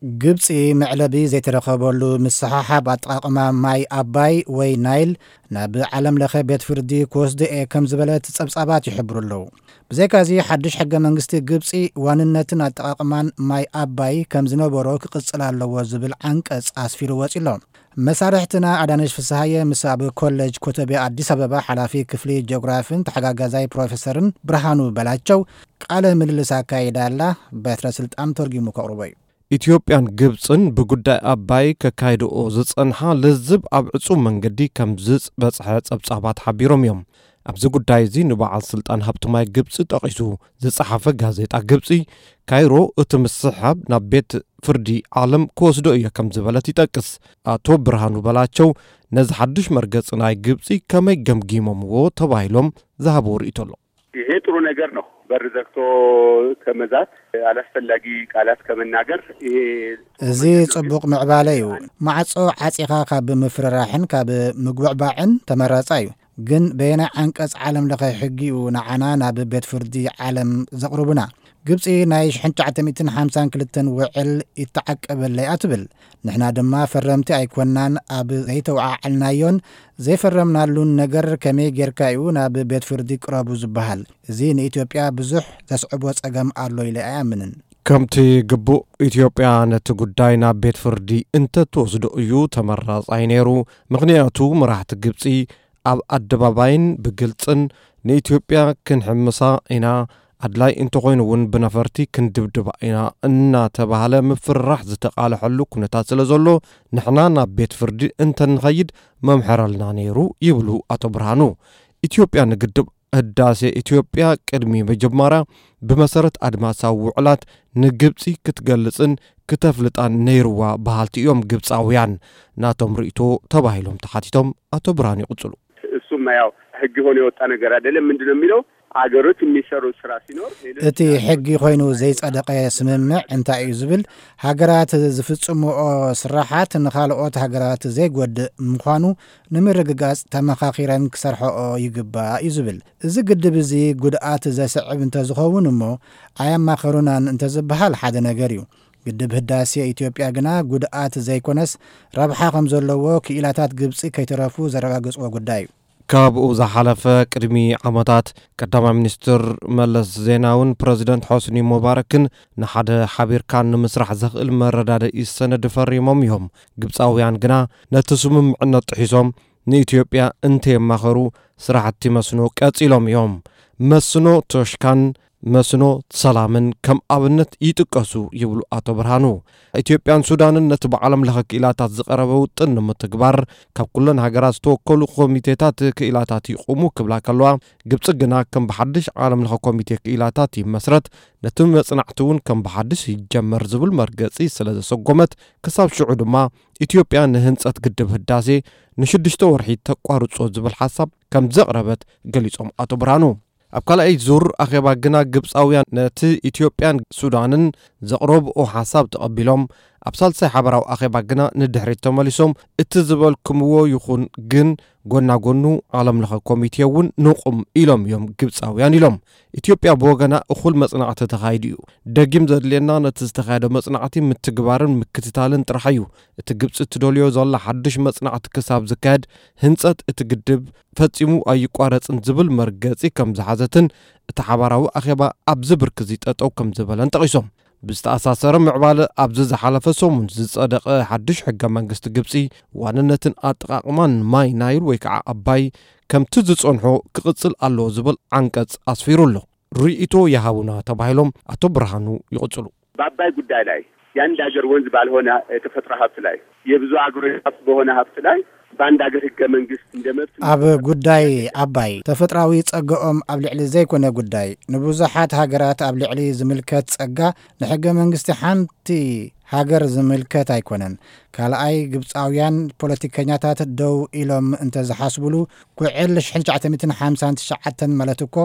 ግብጺ መዕለቢ ዘይተረኸበሉ ምስሕሓብ ኣጠቓቕማ ማይ ኣባይ ወይ ናይል ናብ ዓለም ለኸ ቤት ፍርዲ ክወስዶ እየ ከም ዝበለት ጸብጻባት ይሕብሩ ኣለዉ። ብዘይካዚ ሓድሽ ሕገ መንግስቲ ግብጺ ዋንነትን ኣጠቓቕማን ማይ ኣባይ ከም ዝነበሮ ክቕጽል ኣለዎ ዝብል ዓንቀጽ ኣስፊሩ ወጺ ኣሎ። መሳርሕትና ኣዳነሽ ፍስሃየ ምስ ኣብ ኮሌጅ ኮተቤ ኣዲስ ኣበባ ሓላፊ ክፍሊ ጂኦግራፍን ተሓጋጋዛይ ፕሮፌሰርን ብርሃኑ በላቸው ቃለ ምልልስ ኣካይዳ ኣላ። በትረ ስልጣን ተርጊሙ ከቕርቦ እዩ። ኢትዮጵያን ግብጽን ብጉዳይ ኣባይ ከካይድኦ ዝጸንሓ ልዝብ ኣብ ዕጹው መንገዲ ከም ዝበጽሐ ጸብጻባት ሓቢሮም እዮም። ኣብዚ ጉዳይ እዚ ንበዓል ስልጣን ሃብቲ ማይ ግብጺ ጠቒሱ ዝጸሓፈ ጋዜጣ ግብጺ ካይሮ እቲ ምስሕሓብ ናብ ቤት ፍርዲ ዓለም ክወስዶ እየ ከም ዝበለት ይጠቅስ። ኣቶ ብርሃኑ በላቸው ነዚ ሓድሽ መርገጺ ናይ ግብጺ ከመይ ገምጊሞምዎ ተባሂሎም ዝሃብዎ ርእይቶ ኣሎ። ይሄ ጥሩ ነገር ነው። በር ዘግቶ ከመዛት፣ አላስፈላጊ ቃላት ከመናገር፣ ይሄ ጥሩ እዚ ነገር ነው። ጽቡቕ ምዕባለ እዩ። ማዕጾ ዓጺኻ ካብ ምፍርራሕን ካብ ምግብዕባዕን ተመራጻ እዩ። ግን በየናይ ዓንቀጽ ዓለም ለኸ ሕጊ እዩ ንዓና ናብ ቤት ፍርዲ ዓለም ዘቕርቡና? ግብጺ ናይ ሽሕን ትሽዓተ ሚእትን ሓምሳን ክልተን ውዕል ይተዓቀበለይ እያ ትብል። ንሕና ድማ ፈረምቲ ኣይኮናን፣ ኣብ ዘይተወዓዓልናዮን ዘይፈረምናሉን ነገር ከመይ ጌርካ እዩ ናብ ቤት ፍርዲ ቅረቡ ዝበሃል? እዚ ንኢትዮጵያ ብዙሕ ዘስዕቦ ጸገም ኣሎ ኢለ ኣይኣምንን። ከምቲ ግቡእ፣ ኢትዮጵያ ነቲ ጉዳይ ናብ ቤት ፍርዲ እንተትወስዶ እዩ ተመራጻይ ነይሩ። ምኽንያቱ መራሕቲ ግብጺ ኣብ ኣደባባይን ብግልጽን ንኢትዮጵያ ክንሕምሳ ኢና፣ ኣድላይ እንተኾይኑ እውን ብነፈርቲ ክንድብድባ ኢና እናተባህለ ምፍርራሕ ዝተቓልሐሉ ኩነታት ስለ ዘሎ፣ ንሕና ናብ ቤት ፍርዲ እንተንኸይድ መምሐረልና ነይሩ ይብሉ ኣቶ ብርሃኑ። ኢትዮጵያ ንግድብ ህዳሴ ኢትዮጵያ ቅድሚ ምጅማራ ብመሰረት ኣድማሳዊ ውዕላት ንግብጺ ክትገልጽን ክተፍልጣን ነይርዋ በሃልቲ እዮም ግብጻውያን። ናቶም ርእይቶ ተባሂሎም ተሓቲቶም ኣቶ ብርሃኑ ይቕጽሉ። እሱም ያው ህግ ሆኖ የወጣ ነገር አይደለም። ምንድን ነው የሚለው? አገሮች የሚሰሩት ስራ ሲኖር ሌሎች እቲ ሕጊ ኮይኑ ዘይጸደቐ ስምምዕ እንታይ እዩ ዝብል፣ ሃገራት ዝፍጽምኦ ስራሓት ንኻልኦት ሃገራት ዘይጎድእ ምዃኑ ንምርግጋጽ ተመኻኺረን ክሰርሐኦ ይግባእ እዩ ዝብል። እዚ ግድብ እዚ ጉድኣት ዘስዕብ እንተዝኸውን እሞ ኣየማኸሩናን እንተዝበሃል ሓደ ነገር እዩ። ግድብ ህዳሴ ኢትዮጵያ ግና ጉድኣት ዘይኮነስ ረብሓ ከም ዘለዎ ክኢላታት ግብጺ ከይተረፉ ዘረጋገጽዎ ጉዳይ እዩ። ካብኡ ዝሓለፈ ቅድሚ ዓመታት ቀዳማይ ሚኒስትር መለስ ዜናውን ፕረዚደንት ሖስኒ ሙባረክን ንሓደ ሓቢርካ ንምስራሕ ዘኽእል መረዳድኢ ሰነድ ፈሪሞም እዮም። ግብጻውያን ግና ነቲ ስምምዕነት ጥሒሶም ንኢትዮጵያ እንተየማኸሩ ስራሕቲ መስኖ ቀጺሎም እዮም። መስኖ ቶሽካን መስኖ ሰላምን ከም ኣብነት ይጥቀሱ ይብሉ ኣቶ ብርሃኑ። ኢትዮጵያን ሱዳንን ነቲ ብዓለም ለኸ ክኢላታት ዝቐረበ ውጥን ንምትግባር ካብ ኩለን ሃገራት ዝተወከሉ ኮሚቴታት ክኢላታት ይቑሙ ክብላ ከለዋ፣ ግብጺ ግና ከም ብሓድሽ ዓለም ለኸ ኮሚቴ ክኢላታት ይመስረት፣ ነቲ መጽናዕቲ እውን ከም ብሓድሽ ይጀመር ዝብል መርገጺ ስለ ዘሰጎመት፣ ክሳብ ሽዑ ድማ ኢትዮጵያ ንህንጸት ግድብ ህዳሴ ንሽዱሽተ ወርሒ ተቋርጾ ዝብል ሓሳብ ከም ዘቕረበት ገሊጾም ኣቶ ብርሃኑ። ኣብ ካልኣይ ዙር ኣኼባ ግና ግብጻውያን ነቲ ኢትዮጵያን ሱዳንን ዘቕረብኦ ሓሳብ ተቐቢሎም፣ ኣብ ሳልሳይ ሓበራዊ ኣኼባ ግና ንድሕሪት ተመሊሶም፣ እቲ ዝበልኩምዎ ይኹን፣ ግን ጎና ጎኑ ዓለም ለኸ ኮሚቴ እውን ንቑም ኢሎም እዮም ግብጻውያን ኢሎም። ኢትዮጵያ ብወገና እኹል መጽናዕቲ ተኻይዱ እዩ። ደጊም ዘድልየና ነቲ ዝተኻየደ መጽናዕቲ ምትግባርን ምክትታልን ጥራሕ እዩ። እቲ ግብጺ እትደልዮ ዘላ ሓድሽ መጽናዕቲ ክሳብ ዝካየድ ህንጸት እቲ ግድብ ፈጺሙ ኣይቋረጽን ዝብል መርገጺ ከም ዝሓዘትን እቲ ሓባራዊ ኣኼባ ኣብዚ ብርኪ እዚ ጠጠው ከም ዝበለን ጠቒሶም። ብዝተኣሳሰረ ምዕባለ ኣብዚ ዝሓለፈ ሰሙን ዝጸደቐ ሓድሽ ሕገ መንግስቲ ግብጺ ዋንነትን ኣጠቓቕማን ማይ ናይል ወይ ከዓ ኣባይ ከምቲ ዝጸንሖ ክቕጽል ኣለዎ ዝብል ዓንቀጽ ኣስፊሩ ኣሎ። ርእይቶ ይሃቡና ተባሂሎም ኣቶ ብርሃኑ ይቕጽሉ። በአባይ ጉዳይ ላይ የአንድ ሀገር ወንዝ ባልሆነ የተፈጥሮ ሀብት ላይ የብዙ ሀገሮች ሀብት በሆነ ሀብት ላይ በአንድ ሀገር ህገ መንግስት እንደ መብት ኣብ ጉዳይ ኣባይ ተፈጥራዊ ጸጋኦም ኣብ ልዕሊ ዘይኮነ ጉዳይ ንብዙሓት ሃገራት ኣብ ልዕሊ ዝምልከት ጸጋ ንሕገ መንግስቲ ሓንቲ ሃገር ዝምልከት ኣይኮነን። ካልኣይ ግብጻውያን ፖለቲከኛታት ደው ኢሎም እንተ ዝሓስቡሉ ኩዕል ሽሕን ትሽዓተ ሚእትን ሓምሳን ትሽዓተን ማለት እኮ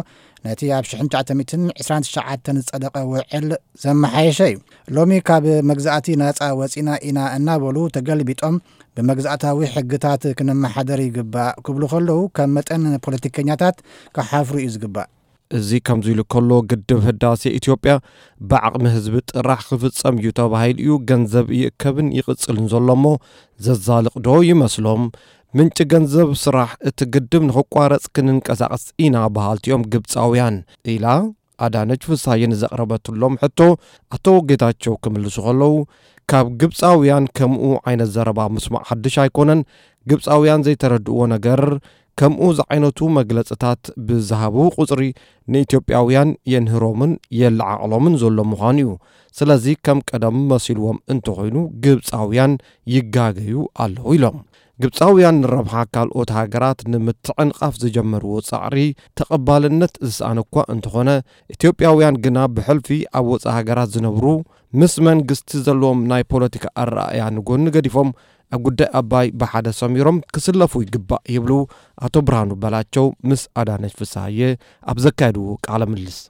ነቲ ኣብ ሽሕን ትሽዓተ ሚእትን ዕስራን ትሽዓተን ዝጸደቐ ውዕል ዘመሓየሸ እዩ። ሎሚ ካብ መግዛእቲ ናጻ ወጺና ኢና እናበሉ ተገልቢጦም ብመግዛእታዊ ሕግታት ክንመሓደር ይግባእ ክብሉ ከለዉ ከም መጠን ፖለቲከኛታት ክሓፍሩ እዩ ዝግባእ። እዚ ከምዚ ኢሉ ከሎ፣ ግድብ ህዳሴ ኢትዮጵያ ብዓቕሚ ህዝቢ ጥራሕ ክፍጸም እዩ ተባሂሉ እዩ፣ ገንዘብ ይእከብን ይቕጽልን ዘሎ እሞ፣ ዘዛልቕ ዶ ይመስሎም? ምንጪ ገንዘብ፣ ስራሕ፣ እቲ ግድብ ንኽቋረጽ ክንንቀሳቐስ ኢና በሃልቲ እዮም ግብጻውያን፣ ኢላ ኣዳነች ፍስሃየ ንዘቕረበትሎም ሕቶ ኣቶ ጌታቸው ክምልሱ ከለዉ፣ ካብ ግብጻውያን ከምኡ ዓይነት ዘረባ ምስማዕ ሓድሽ ኣይኮነን። ግብጻውያን ዘይተረድእዎ ነገር፣ ከምኡ ዝዓይነቱ መግለጽታት ብዝሃቡ ቁጽሪ፣ ንኢትዮጵያውያን የንህሮምን የለዓዕሎምን ዘሎ ምዃኑ እዩ። ስለዚ ከም ቀደም መሲልዎም እንተኾይኑ፣ ግብጻውያን ይጋገዩ ኣለዉ ኢሎም። ግብጻውያን ንረብሓ ካልኦት ሃገራት ንምትዕንቓፍ ዝጀመርዎ ጻዕሪ ተቐባልነት ዝሰኣነ እኳ እንተኾነ፣ ኢትዮጵያውያን ግና ብሕልፊ ኣብ ወጻኢ ሃገራት ዝነብሩ፣ ምስ መንግስቲ ዘለዎም ናይ ፖለቲካ ኣረኣእያ ንጎኒ ገዲፎም፣ ኣብ ጉዳይ ኣባይ ብሓደ ሰሚሮም ክስለፉ ይግባእ ይብሉ ኣቶ ብርሃኑ በላቸው ምስ ኣዳነች ፍስሃየ ኣብ ዘካየድዎ ቃለ ምልልስ።